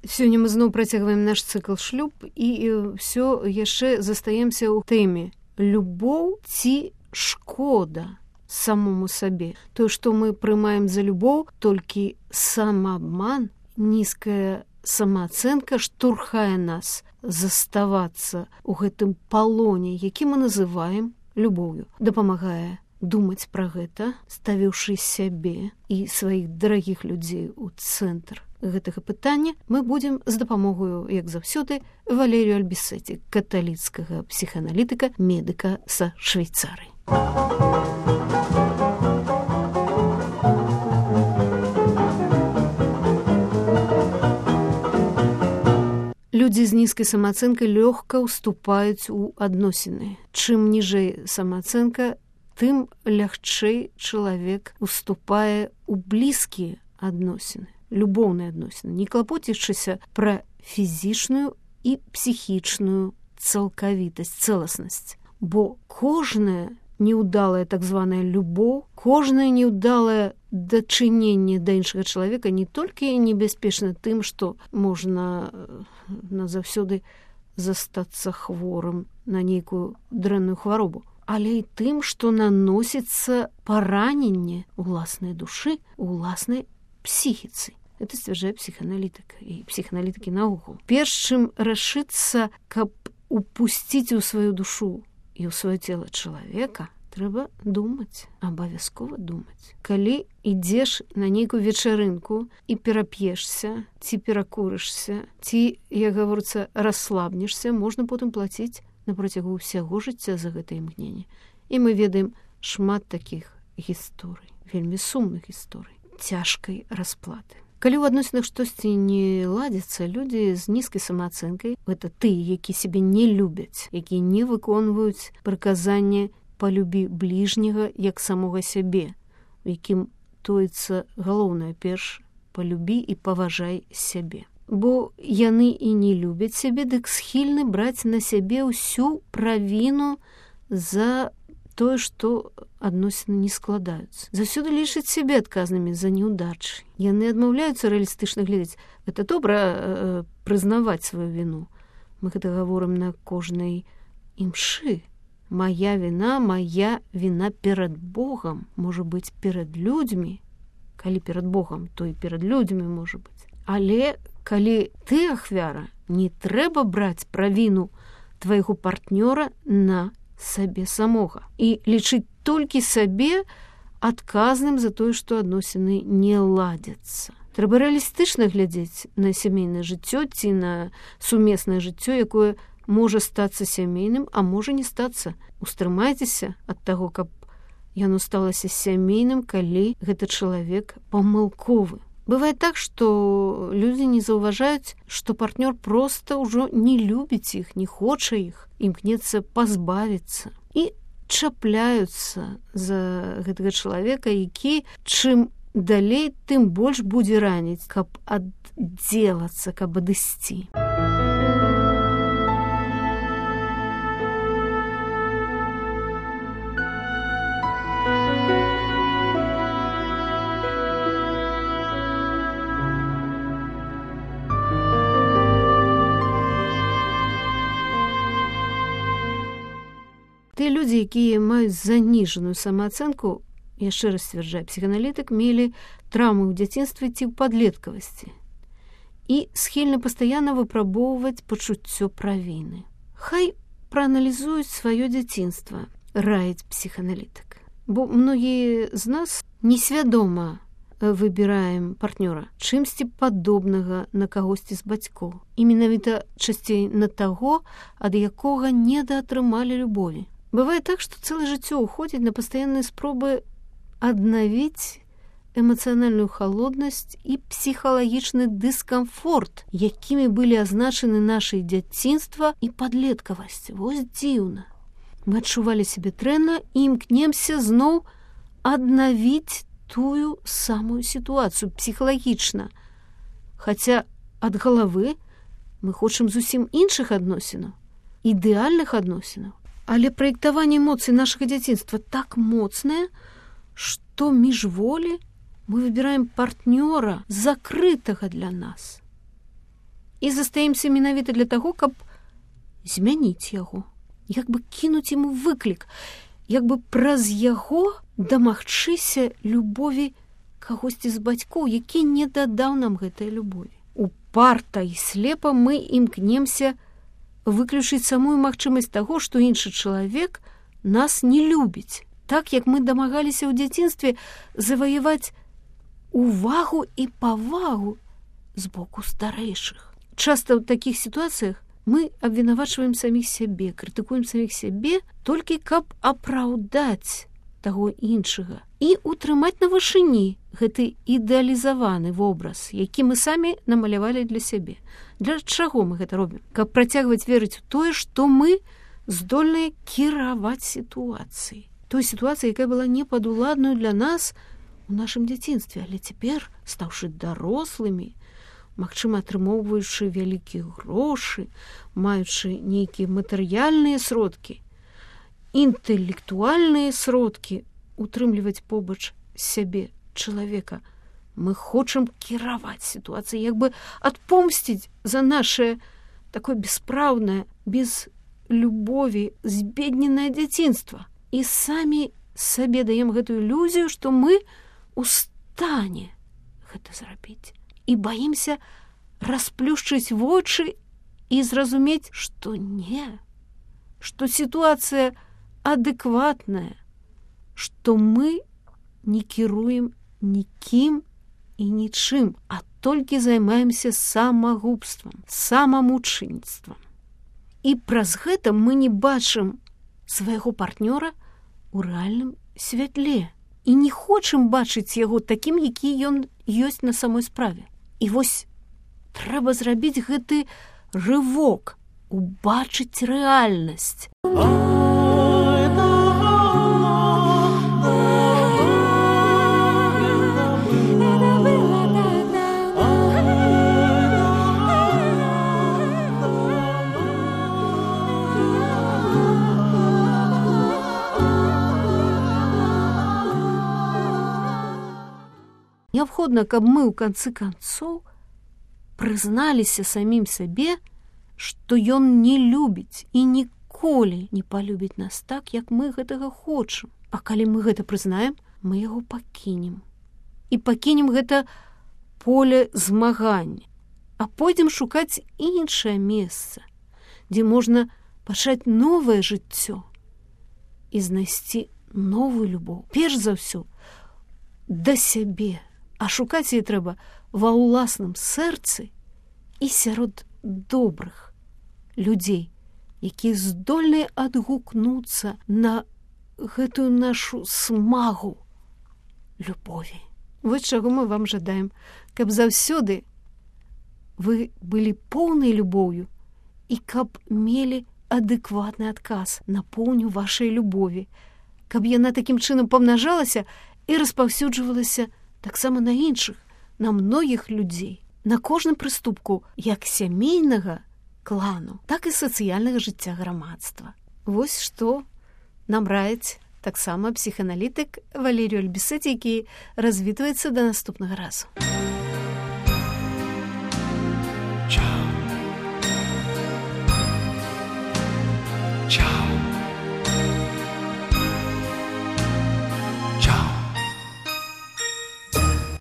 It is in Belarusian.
Сёння мы зноў працягваем наш цыкл шлюб і ўсё яшчэ застаемся ў тэме любоў ці шкода самому сабе. Тое, што мы прымаем за любоў, толькі самаабман, нізкая самаацэнка штурхае нас заставацца ў гэтым палоне, які мы называем любоўю. Дапамагае думаць пра гэта, ставіўшы сябе і сваіх дарагіх людзей у цэнтр гэтага пытання, мы будзем з дапамогою, як заўсёды, Валерію Альбісеці, каталіцкага псіхааналітыка, медыка са Швейцарыі. Людзі з нізкай самаацэнкай лёгка ўступаюць у адносіны. Чым ніжэй самаацэнка, тым лягчэй чалавек уступае ў блізкія адносіны, любоўныя адносіны, не клапоцячыся пра фізічную і псіхічную цалкавітасць, цэласнасць. Бо кожная неўдалая так званая любоў, кожнае неўдалае дачыненне да іншага чалавека не толькі небяспечна тым, што можна назаўсёды застацца хворым на нейкую дрэнную хваробу, але і тым, што наносіцца параненне ўласнай душы, уласнай псіхіцы. Это сцвярджае псіхааналітыка і псіхааналітыкі наогул. Перш чым рашыцца, каб упусціць у сваю душу і ў сваё цела чалавека, трэба думаць, абавязкова думаць. Калі ідзеш на нейкую вечарынку і перап'ешся, ці перакурышся, ці, як гаворыцца, расслабнешся, можна потым плаціць на працягу ўсяго жыцця за гэтае імгненне. І мы ведаем шмат такіх гісторый, вельмі сумных гісторый, цяжкай расплаты. Калі ў адносінах штосьці не ладзіцца, людзі з нізкай самаацэнкай, гэта тыя, які сябе не любяць, якія не выконваюць прыказанне «палюбі бліжняга як самога сябе», у якім тоіцца галоўнае перш «палюбі і паважай сябе». Бо яны і не любяць сябе, дык схільны браць на сябе ўсю правіну за тое, што адносіны не складаюцца. Заўсёды лічаць сябе адказнымі за неўдачы. Яны адмаўляюцца рэалістычна глядзець. Гэта добра прызнаваць сваю віну. Мы гэта гаворым на кожнай імшы. Моя віна перад Богам, можа быць, перад людзьмі. Калі перад Богам, то і перад людзьмі можа быць. Але калі ты ахвяра, не трэба браць правіну твайго партнёра на сабе самога і лічыць толькі сабе адказным за тое, што адносіны не ладзяцца. Трэба рэалістычна глядзець на сямейнае жыццё ці на сумеснае жыццё, якое можа стацца сямейным, а можа не стацца. Устрымайцеся ад таго, каб яно сталася сямейным, калі гэты чалавек памылковы. Бывае так, што людзі не заўважаюць, што партнёр проста ўжо не любіць іх, не хоча іх, імкнецца пазбавіцца. І чапляюцца за гэтага чалавека, які чым далей, тым больш будзе раніць, каб аддзелацца, каб адысці. Тыя людзі, якія маюць заніжаную самаацэнку, яшчэ раз сцвярджае псіхааналітык, мелі траўмы ў дзяцінстве ці ў падлеткавасці і схільны пастаянна выпрабоўваць пачуццё правіны. Хай прааналізуюць сваё дзяцінства, раіць псіхааналітык. Бо многія з нас несвядома выбіраем партнёра чымсьці падобнага на кагосьці з бацькоў. І менавіта часцей на таго, ад якога недаатрымалі любові. Бывае так, што цэлае жыццё ўходзіць на пастаянныя спробы аднавіць эмацыянальную халоднасць і псіхалагічны дыскамфорт, якімі былі азначаны нашае дзяцінства і падлеткавасць. Вось дзіўна. Мы адчувалі сябе дрэнна і імкнемся зноў аднавіць тую самую сітуацыю псіхалагічна. Хаця ад галавы мы хочам зусім іншых адносінаў, ідэальных адносінаў. Але праектаванне эмоцый нашага дзяцінства так моцнае, што міжволі мы выбіраем партнёра, закрытага для нас. і застаемся менавіта для таго, каб змяніць яго, як бы кінуць яму выклік, як бы праз яго дамагчыся любові кагосьці з бацькоў, які не дадаў нам гэтай любові. Упарта і слепа мы імкнемся выключыць самую магчымасць таго, што іншы чалавек нас не любіць. Так, як мы дамагаліся ў дзяцінстве заваяваць увагу і павагу з боку старэйшых. Часта ў такіх сітуацыях мы абвінавачваем саміх сябе, крытыкуем саміх сябе толькі каб апраўдаць таго іншага і утрымаць на вышыні гэты ідэалізаваны вобраз, які мы самі намалявалі для сябе. Для чаго мы гэта робім? Каб працягваць верыць у тое, што мы здольныя кіраваць сітуацыяй. Той сітуацыі, якая была непадуладнаю для нас у нашым дзяцінстве, але цяпер, стаўшы дарослымі, магчыма, атрымоўваючы вялікія грошы, маючы нейкія матэрыяльныя сродкі, інтэлектуальныя сродкі утрымліваць побач сябе чалавека. Мы хочам кіраваць сітуацыяй, як бы адпомсціць за наше такое беспраўнае, без любові збедненае дзяцінства. І самі сабе даем гэтую ілюзію, што мы у стане гэта зрабіць. І баімся расплюшчыць вочы і зразумець, што не, што сітуацыя адэкватная, што мы не кіруем нікім і нічым, а толькі займаемся самагубствам, самамучэнніцтвам. І праз гэта мы не бачым свайго партнёра у рэальным святле і не хочам бачыць яго такім, які ён ёсць на самой справе. І вось трэба зрабіць гэты рывок, убачыць рэальнасць. Неабходна, каб мы ў канцы канцоў прызналіся самім сабе, што ён не любіць і ніколі не палюбіць нас так, як мы гэтага хочам. А калі мы гэта прызнаем, мы яго пакінем. І пакінем гэта поле змагання, а пойдзем шукаць іншае месца, дзе можна пачаць новае жыццё і знайсці новую любоў. Перш за ўсё, да сябе. А шукаць яе трэба ва ўласным сэрцы і сярод добрых людзей, якія здольныя адгукнуцца на гэтую нашу смагу любові. Вось чаго мы вам жадаем, каб заўсёды вы былі поўнай любоўю і каб мелі адэкватны адказ на поўню вашай любові, каб яна такім чынам памнажалася і распаўсюджвалася таксама на іншых, на многіх людзей, на кожным прыступку як сямейнага клану, так і сацыяльнага жыцця грамадства. Вось што нам раіць таксама псіхааналітык Валерій Альбісець, які развітваецца да наступнага разу.